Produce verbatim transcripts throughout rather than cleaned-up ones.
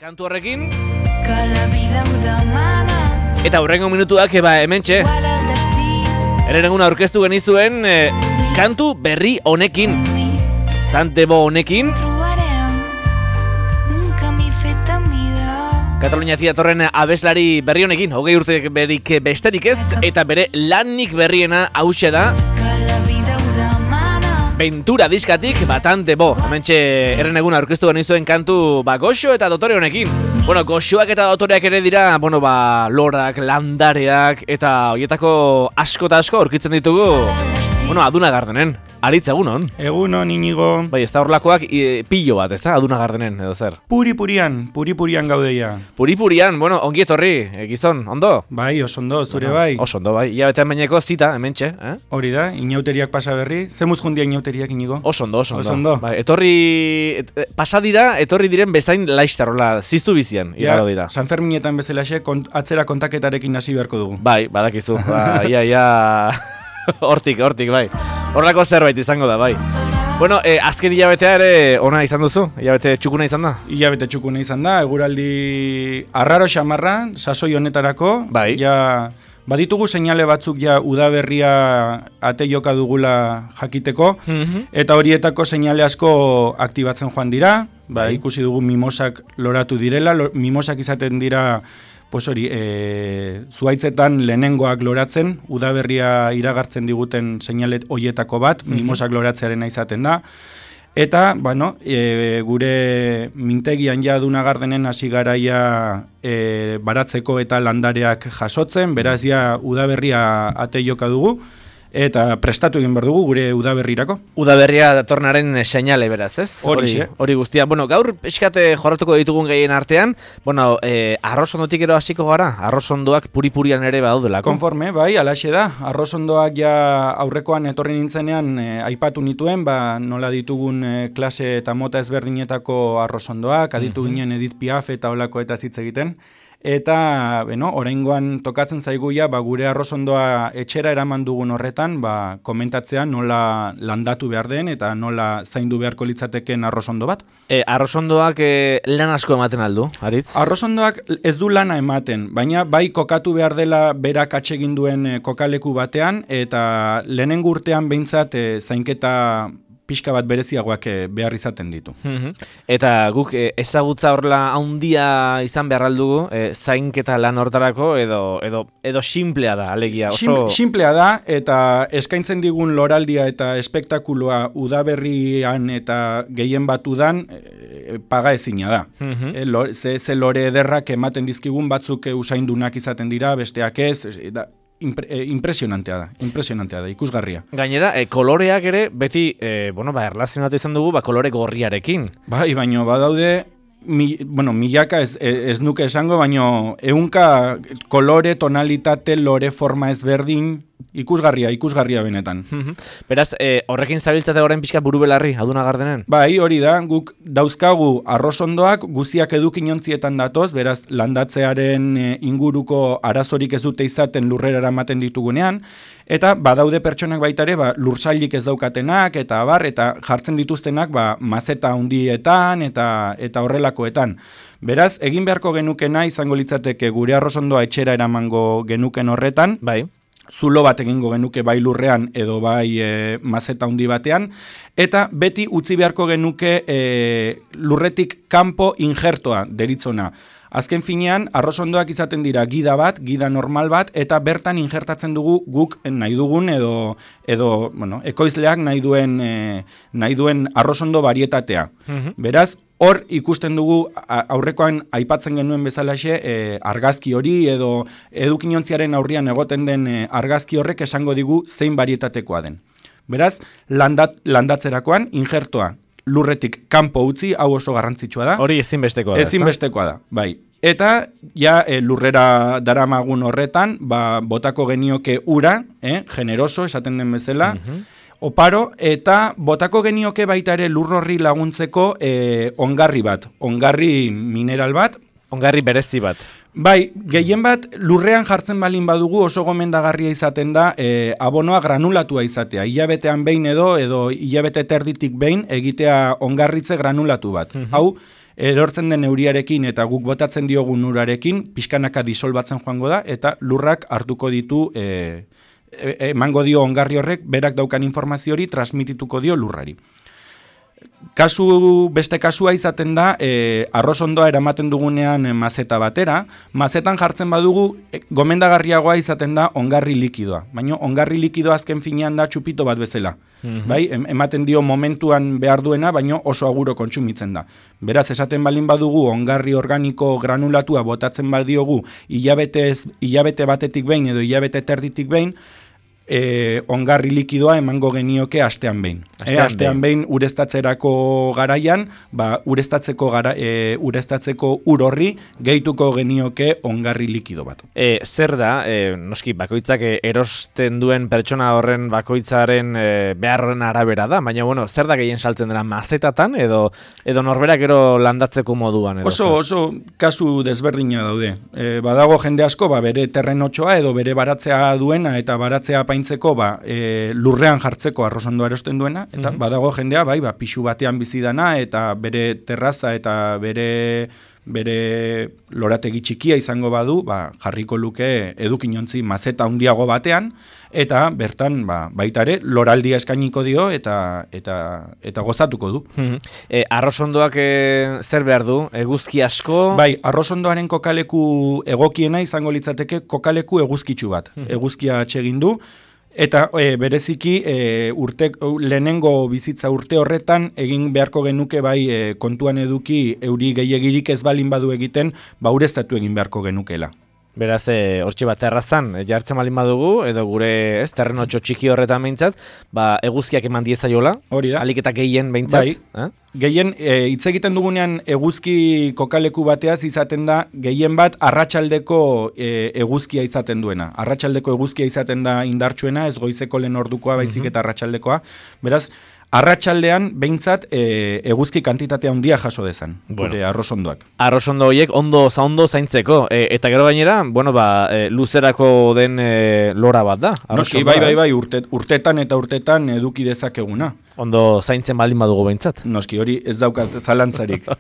kantu horrekin. Eta hurrengo minutuak eba hementxe. Herenegun aurkeztu genizuen eh, kantu berri honekin. Tante bo honekin. Kataluniatik datorren abeslari berri honekin, hogei urte berik besterik ez, eta bere lanik berriena hauxe da Ventura diskatik Batante bo. Hementxe erren egun aurkeztu genizuen kantu ba, goxo eta dotore honekin. Bueno, goxoak eta dotoreak ere dira, bueno, ba, lorak, landareak, eta horietako asko eta asko aurkitzen ditugu, bueno, Aduna Gardenen. Aritz, egunon? Egunon, Inigo. Bai, ez da horlakoak e, pillo bat, ez da? Aduna Gardenen, edo zer? Puri-purian, puri-purian gaudeia. Puri-purian, bueno, ongi etorri, e, gizon, ondo? Bai, oso ondo, zure bueno, bai. Oso ondo, bai. Ia betean baineko zita, hementxe, eh? Hori da, inauteriak pasa berri. Zemuz jundia inauteriak, Inigo? Oso ondo, oso ondo. Oso ondo. Bai, etorri, et, pasa dira, etorri diren bezain laiztarola, ziztu bizian, igaro dira. San Ferminetan bezalaxe, kont, atzera kontaketarekin hasi beharko dugu. Bai, badakizu, ba, ia, ia... hortik, hortik, bai. Horrako zerbait izango da, bai. Bueno, eh, azken hilabetea ere ona izan duzu? Hilabete txukuna izan da? Hilabete txukuna izan da, eguraldi arraro xamarra, sasoi honetarako. Bai. Ja, baditugu seinale batzuk ja udaberria ate joka dugula jakiteko, mm-hmm. eta horietako seinale asko aktibatzen joan dira. Ba, bai. Ikusi dugu mimosak loratu direla, lo, mimosak izaten dira... Pues hori, e, zuaitzetan lehenengoak loratzen, udaberria iragartzen diguten seinalet hoietako bat, mm-hmm. mimosak loratzearena izaten da. Eta, bueno, e, gure mintegian ja Aduna Gardenen hasi garaia e, baratzeko eta landareak jasotzen, beraz ja udaberria ate joka dugu. Eta prestatu egin behar dugu gure udaberrirako. Udaberria datornaren seinale beraz, ez? Hori, hori guztia. Bueno, gaur pixkate jorratuko ditugun gehien artean, bueno, eh, arrozondotik ero hasiko gara, arrozondoak puri-purian ere badaudelako. Konforme, bai, alaxe da. Arrozondoak ja aurrekoan etorri nintzenean eh, aipatu nituen, ba, nola ditugun eh, klase eta mota ezberdinetako arrozondoak, aditu mm-hmm. ginen Edith Piaf eta holako eta hitz egiten. Eta, bueno, oraingoan tokatzen zaiguia, ba, gure arrozondoa etxera eraman dugun horretan, ba, komentatzea nola landatu behar den eta nola zaindu beharko litzateken arrozondo bat. E, arrozondoak e, lan asko ematen aldu, Aritz? Arrozondoak ez du lana ematen, baina bai kokatu behar dela berak atsegin duen e, kokaleku batean, eta lehenengo urtean behintzat e, zainketa pixka bat bereziagoak behar izaten ditu. Eta guk ezagutza horrela handia izan behar aldugu, e, zainketa lan hortarako, edo, edo, edo simplea da, alegia. Oso... Simplea da, eta eskaintzen digun loraldia eta espektakuloa udaberrian eta gehien bat udan, e, paga ezina da. Uh-huh. E, lo, ze, ze lore ederrak ematen dizkigun batzuk e, usaindunak izaten dira, besteak ez, e, da, Impre, eh, impresionantea da, impresionantea da, ikusgarria. Gainera, eh, koloreak ere beti, eh, bueno, ba, erlazionatu izan dugu, ba, kolore gorriarekin. Bai, baino, badaude, mi, bueno, milaka ez, ez nuke esango, baino, ehunka kolore, tonalitate, lore, forma ezberdin, ikusgarria, ikusgarria benetan. Beraz, eh, horrekin zabiltzate orain pixka buru belarri, Aduna Gardenen? Bai, hori da, guk dauzkagu arrozondoak guztiak edukinontzietan datoz, beraz, landatzearen eh, inguruko arazorik ez dute izaten lurrera eramaten ditugunean, eta badaude pertsonak baitare, ba, lursailik ez daukatenak, eta bar, eta jartzen dituztenak, ba, mazeta hundietan, eta, eta horrelakoetan. Beraz, egin beharko genukena izango litzateke gure arrozondoa etxera eramango genuken horretan, bai. Zulo bat egingo genuke bai lurrean edo bai e, mazeta handi batean, eta beti utzi beharko genuke e, lurretik kanpo injertoa deritzona. Azken finean, arrozondoak izaten dira gida bat, gida normal bat, eta bertan injertatzen dugu guk nahi dugun edo, edo bueno, ekoizleak nahi duen, e, nahi duen arrozondo barietatea. Uh-huh. Beraz, hor ikusten dugu aurrekoan aipatzen genuen bezalaxe e, argazki hori edo edukinontziaren aurrian egoten den e, argazki horrek esango digu zein barietatekoa den. Beraz, landat, landatzerakoan injertoa lurretik kanpo utzi, hau oso garrantzitsua da. Hori ezinbestekoa da. Ezinbestekoa da, bai. Eta ja e, lurrera daramagun horretan, ba, botako genioke ura, eh, generoso, esaten den bezala, uh-huh. oparo, eta botako genioke baita ere lur horri laguntzeko e, ongarri bat, ongarri mineral bat. Ongarri berezi bat. Bai, gehien bat lurrean jartzen balin badugu oso gomendagarria izaten da e, abonoa granulatua izatea. Hilabetean behin edo, edo hilabete terditik behin egitea ongarritze granulatu bat. Uh-huh. Hau, erortzen den euriarekin eta guk botatzen diogun urarekin, pixkanaka disolbatzen joango da, eta lurrak hartuko ditu, e, e, emango dio ongarri horrek, berak daukan informazio hori transmitituko dio lurrari. Kasu, beste kasua izaten da, e, arrozondoa eramaten dugunean e, mazeta batera, mazetan jartzen badugu, e, gomendagarriagoa izaten da ongarri likidoa. Baina ongarri likidoa azken finean da txupito bat bezala. Mm-hmm. Bai, em, ematen dio momentuan behar duena, baina oso aguro kontsumitzen da. Beraz, esaten balin badugu ongarri organiko granulatua botatzen badiogu hilabete, hilabete batetik behin edo hilabete terditik behin, E, ongarri likidoa emango genioke astean behin. Astean, e, astean behin ureztatzerako garaian, ba, ureztatzeko, gara, e, ureztatzeko ur horri gehituko genioke ongarri likido bat. E, zer da, e, noski, bakoitzak erosten duen pertsona horren bakoitzaren e, behar horren arabera da, baina bueno, zer da gehien saltzen dela mazetatan edo edo norberak ero landatzeko moduan? Edo oso, oso kasu desberdina daude. E, badago jende asko, ba, bere terrenotxoa edo bere baratzea duena eta baratzea paintzeko ba, e, lurrean jartzeko arrozondoa erosten duena, eta mm-hmm. badago jendea bai, ba, pixu batean bizidana eta bere terraza eta bere bere lorategi txikia izango badu, ba, jarriko luke edukinontzi mazeta handiago batean, eta bertan ba, baitare loraldia eskainiko dio eta eta eta gozatuko du. Mm-hmm. E, arrozondoak e, zer behar du? Eguzki asko? Bai, arrozondoaren kokaleku egokiena izango litzateke kokaleku eguzkitsu bat. Mm-hmm. Eguzkia atsegin du. Eta e, bereziki e, urte, lehenengo bizitza urte horretan egin beharko genuke bai e, kontuan eduki euri gehiegirik ez balin badu egiten, ba ureztatu egin beharko genukela. Beraz, e, hortxe bat terrazan, e, jartzen balin badugu, edo gure ez, terrenotxo txiki horretan behintzat, ba, eguzkiak eman diezaiola, hori da. Alik eta gehien behintzat. Bai. Eh? Gehien, e, hitz egiten dugunean eguzki kokaleku bateaz izaten da, gehien bat arratsaldeko e, eguzkia izaten duena. Arratsaldeko eguzkia izaten da indartsuena, ez goizeko lehen ordukoa, baizik eta arratsaldekoa. Beraz, arratsaldean behintzat e, eguzki kantitatea handia jaso dezan, bueno, gure arrozondoak. Arrozondo horiek ondo zaondo zaintzeko, e, eta gero gainera, bueno, ba, e, luzerako den e, lora bat da. Noski, bai, bai, bai, urte, urtetan eta urtetan eduki dezakeguna. Ondo zaintzen baldin badugu behintzat. Noski, hori ez daukat zalantzarik.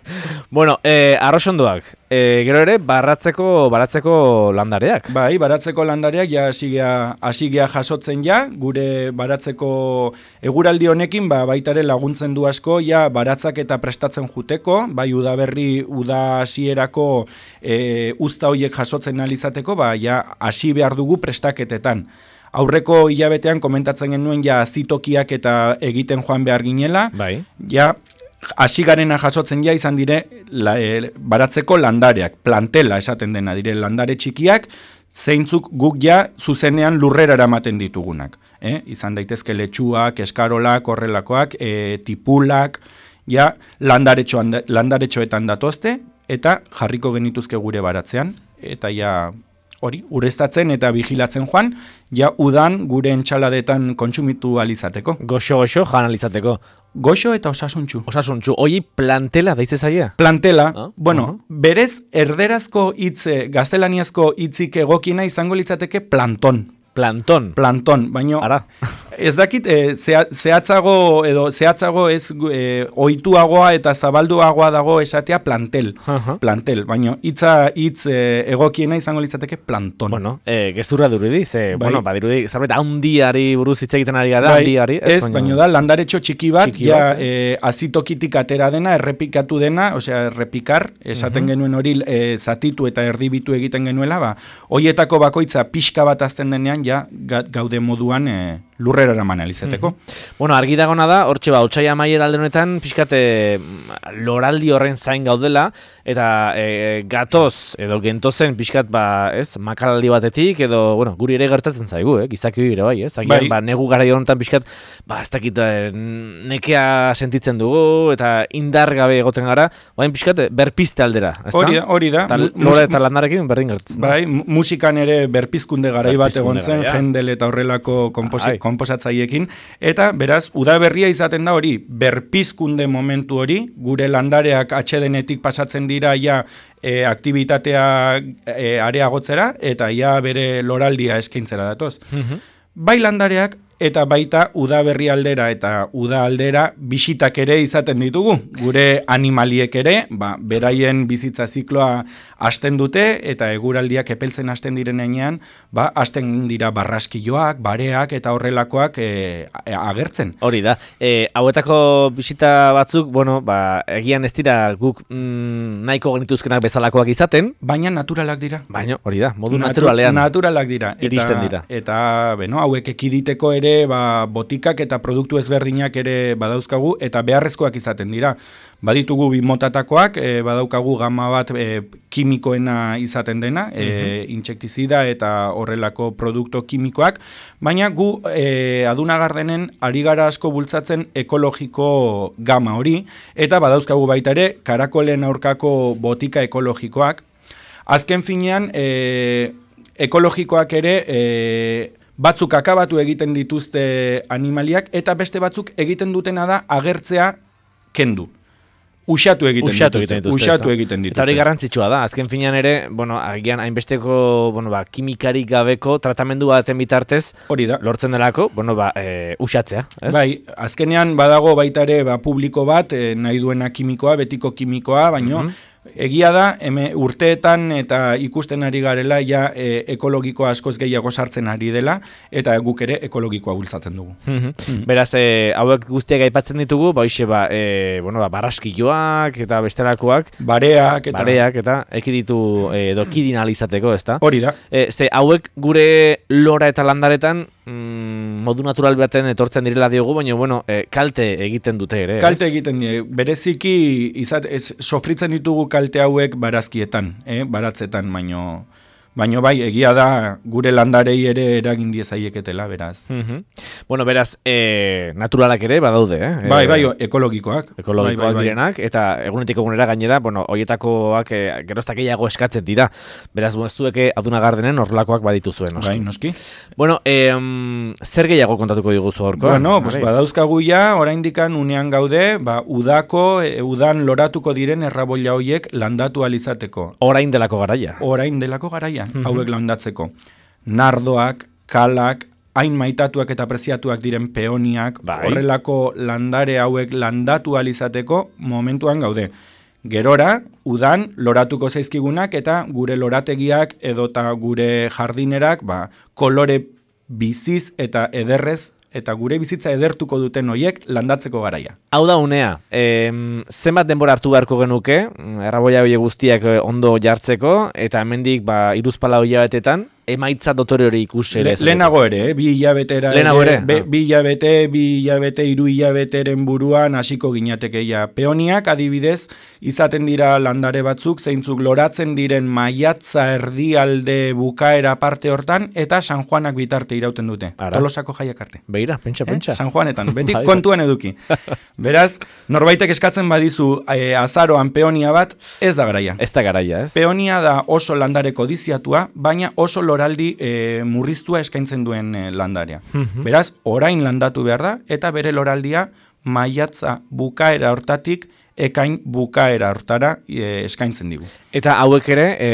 Bueno, e, arrozondoak, e, gero ere, baratzeko, baratzeko landareak. Bai, baratzeko landareak, ja hasigea jasotzen ja, gure baratzeko eguraldi honekin, ba, baitare laguntzen du asko, ja, baratzak eta prestatzen juteko, bai, udaberri, uda hasierako e, uzta horiek jasotzen alizateko, ba, ja, hasi behar dugu prestaketetan. Aurreko hilabetean komentatzen genuen ja azitokiak eta egiten joan behar ginela, bai. Ja, hasi garena jasotzen ja izan dire la, e, baratzeko landareak, plantela esaten dena dire landare txikiak, zeintzuk guk ja zuzenean lurrera eramaten ditugunak. Eh? Izan daitezke letxuak, eskarolak, horrelakoak, e, tipulak, ja landaretxoan, landaretxoetan datozte, eta jarriko genituzke gure baratzean, eta ja hori, ureztatzen eta vigilatzen joan, ja udan gure entxaladetan kontsumitu alizateko. Goxo-goxo jan alizateko. Goxo eta osasuntxu. Osasuntxu. Hoi plantela daitze zaia? Plantela. Ah, bueno, uh-huh. berez erderazko hitze, gaztelaniazko hitzik egokiena izango litzateke planton. Planton. Planton, baino Ara. Ez dakit, e, zehatzago edo zehatzago ez e, ohituagoa eta zabalduagoa dago esatea plantel. Uh-huh. Plantel, baino hitza hitz e, egokiena izango litzateke planton. Bueno, e, gezurra durudi, ze, bai. Bueno, badirudi, zerbait handiari buruz hitz egiten ari gara, bai, handiari. Ez, ez baino da, landaretxo txiki bat, txiki ja, bat, e, azitokitik atera dena, errepikatu dena, osea, errepikar, esaten uh-huh. genuen hori e, zatitu eta erdibitu egiten genuela, ba, hoietako bakoitza pixka bat azten denean, ja, gaude moduan e, lurrera eraman alizeteko. Mm-hmm. Bueno, argi dagona da, hortxe ba, otsaia maier alde honetan, pixkate loraldi horren zain gaudela, eta e, gatoz, edo gentozen pixkat, ba, ez, makalaldi batetik, edo, bueno, guri ere gertatzen zaigu, eh, gizaki ere bai, ez, agian, bai. Ba, negu gara honetan pixkat, ba, ez dakit, nekea sentitzen dugu, eta indar gabe egoten gara, baina pixkat, berpiste aldera, ez hori da? Hori da, hori da. Lore eta landarekin berdin gertatzen. Bai, musikan ere berpizkunde garai bat egon zen, Händel eta horrelako konposatzaiekin, eta beraz, udaberria izaten da hori, berpizkunde momentu hori, gure landareak atsedenetik pasatzen dira ja e, aktivitatea e, areagotzera, eta ja bere loraldia eskaintzera datoz. Mm-hmm. Bai landareak, eta baita udaberri aldera eta uda aldera bisitak ere izaten ditugu. Gure animaliek ere, ba, beraien bizitza zikloa hasten dute, eta eguraldiak epeltzen hasten direnean, ba, hasten dira barraskiloak, bareak eta horrelakoak e, agertzen. Hori da. E, hauetako bisita batzuk, bueno, ba, egian ez dira guk mm, nahiko genituzkenak bezalakoak izaten. Baina naturalak dira. Baina, hori da, modu Natu, naturalean. Naturalak dira. Eta, iristen dira. Eta, beno, hauek ekiditeko ere, ba, botikak eta produktu ezberdinak ere badauzkagu, eta beharrezkoak izaten dira. Baditugu bi motatakoak, e, badaukagu gama bat e, kimikoena izaten dena, e, uh-huh. intsektizida eta horrelako produktu kimikoak, baina gu e, Aduna Gardenen ari gara asko bultzatzen ekologiko gama hori, eta badauzkagu baita ere karakolen aurkako botika ekologikoak. Azken finean, e, ekologikoak ere e, batzuk akabatu egiten dituzte animaliak, eta beste batzuk egiten dutena da agertzea kendu. Usatu egiten Usatu dituzte. egiten dituzte. Usatu egiten dituzte. Eta hori garrantzitsua da. Azken finean ere, bueno, agian hainbesteko, bueno, ba, kimikarik gabeko tratamendu baten bitartez hori da. Lortzen delako, bueno, ba, e, usatzea, ez? Bai, azkenean badago baita ere ba, publiko bat, e, nahi duena kimikoa, betiko kimikoa, baino, mm-hmm. Egia da, eme, urteetan eta ikusten ari garela, ja e, ekologikoa askoz gehiago sartzen ari dela, eta guk ere ekologikoa bultzatzen dugu. Mm-hmm. Mm-hmm. Beraz, e, hauek guztiak aipatzen ditugu, ba, hoxe, ba, e, bueno, ba, barraskilloak eta bestelakoak, bareak eta, bareak, eta ekiditu e, edo kidin alizateko, ezta? Hori da. E, ze, hauek gure lora eta landaretan mm, modu natural baten etortzen direla diogu, baina, bueno, e, kalte egiten dute ere, kalte ez? egiten die, bereziki izat, ez, sofritzen ditugu kalte hauek barazkietan, eh, baratzetan, baino, baino bai, egia da gure landarei ere eragin diezaieketela, beraz. Mm-hmm. Bueno, beraz, e, naturalak ere badaude, eh? Bai, bai, ekologikoak. Ekologikoak bai, bai, direnak, eta egunetik egunera gainera, bueno, hoietakoak e, geroztak gehiago eskatzen dira. Beraz, zueke Aduna Gardenen horrelakoak baditu zuen, noski. Bai, noski. Bueno, e, um, zer gehiago kontatuko diguzu horko? Bueno, pues badauzkagu ja, oraindikan unean gaude, ba, udako, e, udan loratuko diren erraboila hoiek landatu alizateko. Orain delako garaia. Orain delako garaia, mm-hmm. hauek landatzeko. Nardoak, kalak, hain maitatuak eta preziatuak diren peoniak, bai. Horrelako landare hauek landatu alizateko momentuan gaude. Gerora, udan, loratuko zaizkigunak eta gure lorategiak edota gure jardinerak, ba, kolore biziz eta ederrez, eta gure bizitza edertuko duten hoiek landatzeko garaia. Hau da unea, e, zenbat denbora hartu beharko genuke, erraboia hori guztiak ondo jartzeko, eta hemendik ba, iruzpala hilabetetan, emaitza dotore hori ikus ere. Le, lehenago ere, eh? bi hilabetera lehenago ere, be, ah. bi hilabete, bi hilabete, hiru hilabeteren buruan hasiko ginatekeia. Peoniak adibidez izaten dira landare batzuk, zeintzuk loratzen diren maiatza erdialde bukaera parte hortan, eta San Juanak bitarte irauten dute. Ara. Tolosako jaiak arte. Beira, pentsa, eh? pentsa. San Juanetan, beti kontuan eduki. Beraz, norbaitek eskatzen badizu eh, azaroan peonia bat, ez da garaia. Ez da garaia, ez? Peonia da oso landare kodiziatua, baina oso loraldi e, murriztua eskaintzen duen e, landarea. Mm-hmm. Beraz, orain landatu behar da, eta bere loraldia maiatza bukaera hortatik ekain bukaera hortara e, eskaintzen digu. Eta hauek ere, e,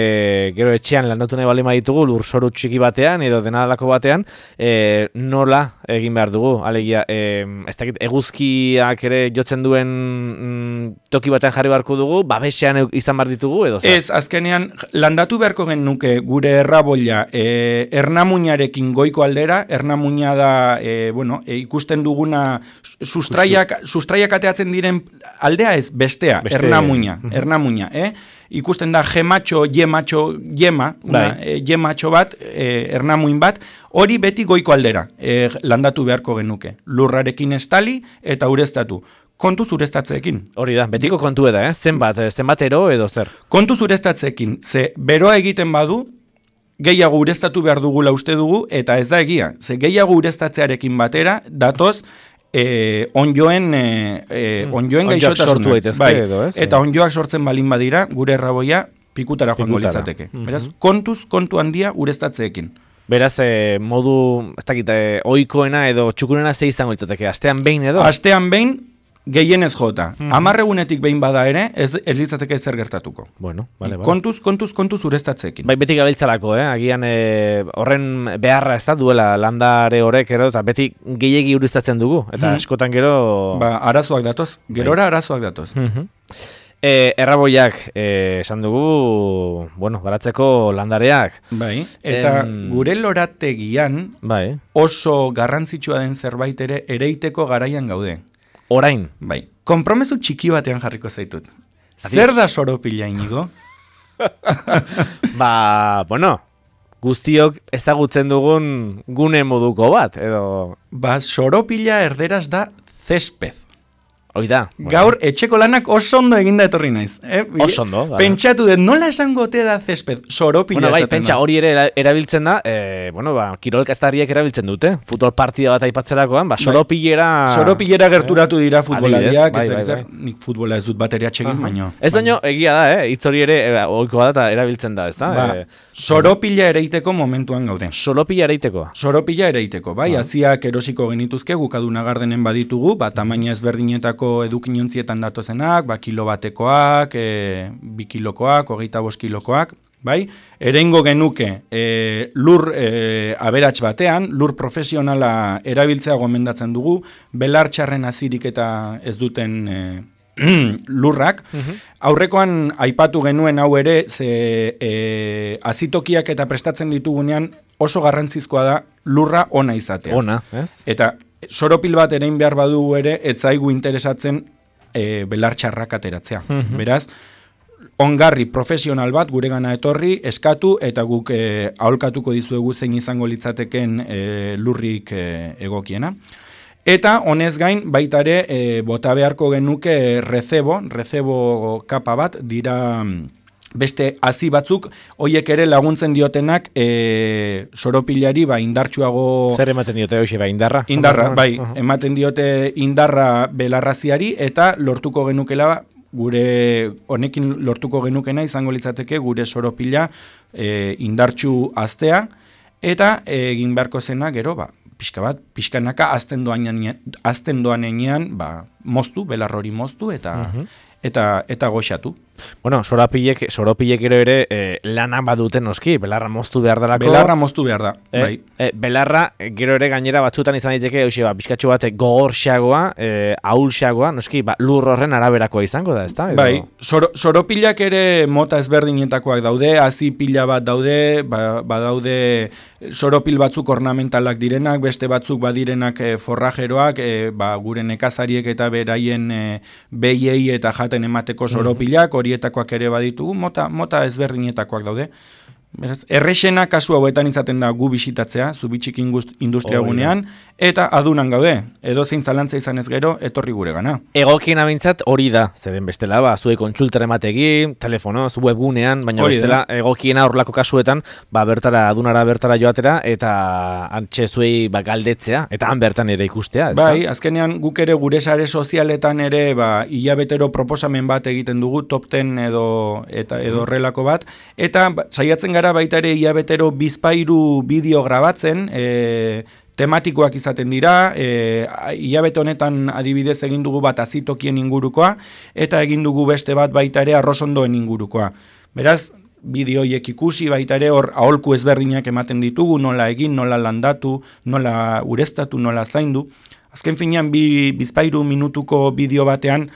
gero etxean landatu nahi bali ditugu lurzoru txiki batean edo denadalako batean, e, nola egin behar dugu? Alegia, e, ez dakit, eguzkiak ere jotzen duen mm, toki batean jarri beharko dugu, babesean izan behar ditugu edo? Zer? Ez, azkenean, landatu beharko genuke gure erraboila e, ernamuinarekin goiko aldera, ernamuina da, e, bueno, e, ikusten duguna sustraiak, sustraiak ateatzen diren aldea ez, bestea, Beste... ernamuina, uh-huh. ernamuina, eh? Ikusten da gematxo, yematxo, yema, una, e, yematxo bat, e, ernamuin bat, hori beti goiko aldera, e, landatu beharko genuke. Lurrarekin estali eta ureztatu. Kontuz ureztatzeekin. Hori da, betiko kontu eda, eh? Zenbat, zenbatero edo zer? Kontuz ureztatzeekin, ze beroa egiten badu, gehiago ureztatu behar dugula uste dugu, eta ez da egia. Ze gehiago ureztatzearekin batera, datoz, Eh, onjoen eh, eh, onjoen gaixotasunak, bai, edo, ez? Eta onjoak sortzen balin badira, gure erraboia pikutara joango litzateke. Mm-hmm. Beraz, kontuz, kontu handia ureztatzeekin. Beraz, eh, modu, ez dakit, eh, ohikoena edo txukunena ze izango litzateke, astean behin edo? Astean behin, gehienez jota. Hmm. Hamar egunetik behin bada ere, ez, ez litzateke ezer gertatuko. Bueno, vale, vale. Kontuz, kontuz, kontuz ureztatzeekin. Bai, beti gabiltzalako, eh? Agian e, horren beharra ez da duela landare horrek ero, eta beti gehiegi ureztatzen dugu. Eta Hmm. askotan gero... Ba, arazoak datoz, gerora arazoak datoz. Mhm. E, erraboiak, e, esan dugu, bueno, baratzeko landareak. Bai, eta Em, gure lorategian Bai, oso garrantzitsua den zerbait ere ereiteko garaian gaude. orain. Bai, konpromesu txiki batean jarriko zaitut. Adios. Zer da soropila, Inigo? Ba, bueno, guztiok ezagutzen dugun gune moduko bat, edo... Ba, soropila erderaz da césped. Hoi da. Bueno. Gaur, etxeko lanak oso ondo eginda etorri naiz. Eh? Oso ondo, bai. Pentsatu dut, nola esango te da césped? Soropila Bueno, bai, esaten pentsa da. hori ere era- erabiltzen da, e, bueno, ba, kirolkaztariek erabiltzen dute. Futbol partida bat aipatzerakoan, ba, soropilera... Soropilera gerturatu dira futbolariak, Adibidez, ez bai, da, bai, zer, nik futbola ez dut bateria txegin, baino. Ez baino, egia da, eh? Hitz hori ere, e, ohikoa da eta erabiltzen da, ez da? Ba, soropila ereiteko momentuan gaude. Soropila ereiteko. Soropila ereiteko, bai, aziak erosiko genituzke, gukaduna gardenen baditugu, ba, tamaina ezberdinetako edukinontzietan datozenak, ba, kilo batekoak, e, bi kilokoak, hogeita bost kilokoak, bai, erengo genuke e, lur e, aberats batean, lur profesionala erabiltzea gomendatzen dugu, belar txarren azirik eta ez duten e, lurrak. Aurrekoan aipatu genuen hau ere, ze e, azitokiak eta prestatzen ditugunean oso garrantzizkoa da lurra ona izatea. Ona, ez? Eta soropil bat erein behar badugu ere, ez zaigu interesatzen e, belar txarrak ateratzea. Beraz, ongarri profesional bat guregana etorri, eskatu, eta guk e, aholkatuko dizuegu zein izango litzateken e, lurrik e, egokiena. Eta honez gain baita ere e, bota beharko genuke rezebo, rezebo kapa bat, dira beste hazi batzuk, hoiek ere laguntzen diotenak e, soropilari ba indartsuago... Zer ematen diote hoxe, ba, indarra? Indarra, bai, Aha. ematen diote indarra belarraziari, eta lortuko genukela gure honekin lortuko genukena izango litzateke gure soropila e, indartsu aztea, eta egin beharko zena gero, ba, pixka bat, pixkanaka azten doanean, azten doanean, ba, moztu, belar hori moztu, eta, eta, eta goxatu. Bueno, soropilek, soropilek gero ere e, lana baduten noski, belarra moztu behar dalako. Belarra moztu behar da, Eh, bai. eh, belarra, eh, gero ere gainera batzutan izan daiteke, hoxe, ba, pixkatxo bat gogorxagoa, eh, ahulxagoa, noski, ba, lur horren araberakoa izango da, ezta? Edo- Bai, soro, soropilak ere mota ezberdinetakoak daude, hazi pila bat daude, ba, badaude soropil batzuk ornamentalak direnak, beste batzuk badirenak e, forrajeroak, e, ba, gure nekazariek eta beraien e, behiei eta jaten emateko soropilak, horietakoak ere baditugu, mota, mota ezberdinetakoak daude. Beraz, errexena kasu hauetan izaten da gu bisitatzea, Zubitxik industria Hoi da. gunean, eta adunan gaude, edo zein zalantza izan ez gero, etorri gure gana. Egokien abintzat hori da, zeren bestela, ba, zuek kontsultara emategi, telefonoz, webgunean, baina Hori da. bestela, egokiena horrelako kasuetan, ba, bertara, adunara bertara joatera, eta antxe zuei, ba, galdetzea, eta han bertan ere ikustea, ez Bai, azkenean guk ere gure sare sozialetan ere ba, hilabetero proposamen bat egiten dugu, top ten edo eta edo horrelako bat, eta ba, saiatzen gara baita ere hilabetero bizpairu bideo grabatzen, e, tematikoak izaten dira, e, hilabete honetan adibidez egin dugu bat azitokien ingurukoa, eta egin dugu beste bat baita ere arrosondoen ingurukoa. Beraz, bideoiek ikusi baita ere hor aholku ezberdinak ematen ditugu, nola egin, nola landatu, nola ureztatu, nola zaindu. Azken finean bi bizpairu minutuko bideo batean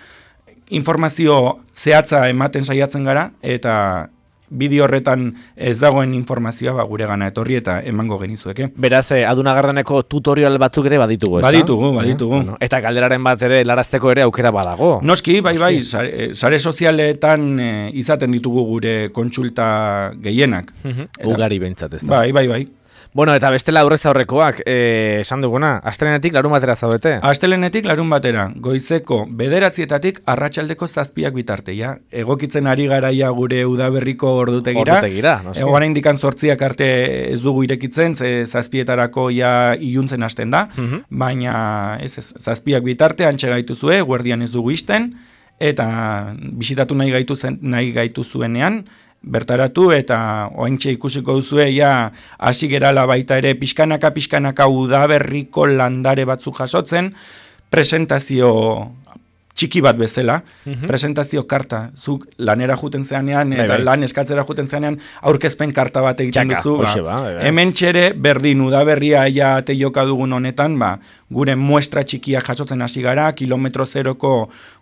informazio zehatza ematen saiatzen gara, eta bideo horretan ez dagoen informazioa ba, gure gana etorri eta emango genizueke. Beraz, eh, adunagarreneko tutorial batzuk ere baditugu, ez Baditugu, baditugu. Bueno, eta galderaren bat ere larazteko ere aukera badago. Noski, bai, bai, sare, sare sozialetan e, izaten ditugu gure kontsulta gehienak. Mhm, Eta- Ugari behintzat, ez da. Bai, bai, bai. Bueno, eta bestela aurrez aurrekoak, eh, esan duguna, astelenetik larun batera zaudete. Astelenetik larun batera, goizeko bederatzietatik arratsaldeko zazpiak bitarte, ja. Egokitzen ari garaia gure udaberriko ordutegira. Ordutegira, noski. Egoan indikan zortziak arte ez dugu irekitzen, ze zazpietarako ja iluntzen hasten da, baina ez, ez, zazpiak bitarte antxe gaituzue, guardian ez dugu isten, eta bisitatu nahi gaitu, zen, nahi gaitu zuenean, bertaratu eta oaintxe ikusiko duzue ja hasi gerala baita ere pixkanaka pixkanaka udaberriko landare batzuk jasotzen, presentazio txiki bat bezala, presentazio karta, zuk lanera juten zeanean, eta lan eskatzera juten zeanean, aurkezpen karta bat egiten duzu, hemen txere, berdin, udaberria ja ate joka dugun honetan, ba, gure muestra txikiak jasotzen hasi gara, kilometro zeroko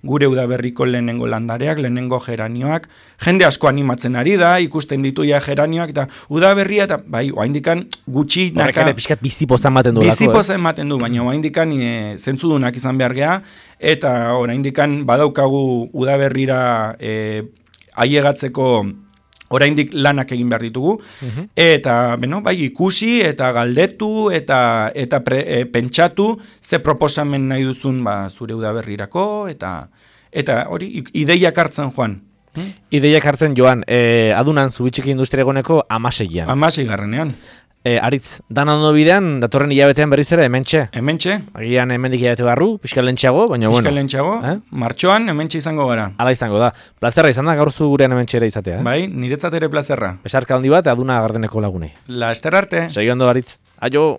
gure udaberriko lehenengo landareak, lehenengo geranioak, jende asko animatzen ari da, ikusten ditu ja geranioak, eta udaberria, eta bai, oaindikan gutxi naka... Horrek ere pixkat bizipoza ematen du lako, bizipoza ematen du, baina oaindikan e, zentzudunak izan behar geha, eta oraindikan badaukagu udaberrira e, aiegatzeko oraindik lanak egin behar ditugu, uh-huh. eta beno, bai, ikusi eta galdetu eta eta pre, e, pentsatu ze proposamen nahi duzun ba, zure udaberrirako, eta eta hori ideiak hartzen joan. Hmm? Ideiak hartzen joan, e, adunan zubitxiki industria egoneko amaseian. Amasei garrenean. E, Aritz, dan ondo bidean, datorren hilabetean berriz ere, hementxe? Hementxe. Agian hemendik hilabete barru, pixka lentxeago, baina bueno. Pixka lentxeago, eh? Martxoan hementxe izango gara. Hala izango da. Plazerra izan da gaur zu gurean hementxe ere izatea, eh? Bai, niretzat ere plazerra. Besarka handi bat, aduna gardeneko lagunei. La ester arte. Segi ondo, Aritz. Aio!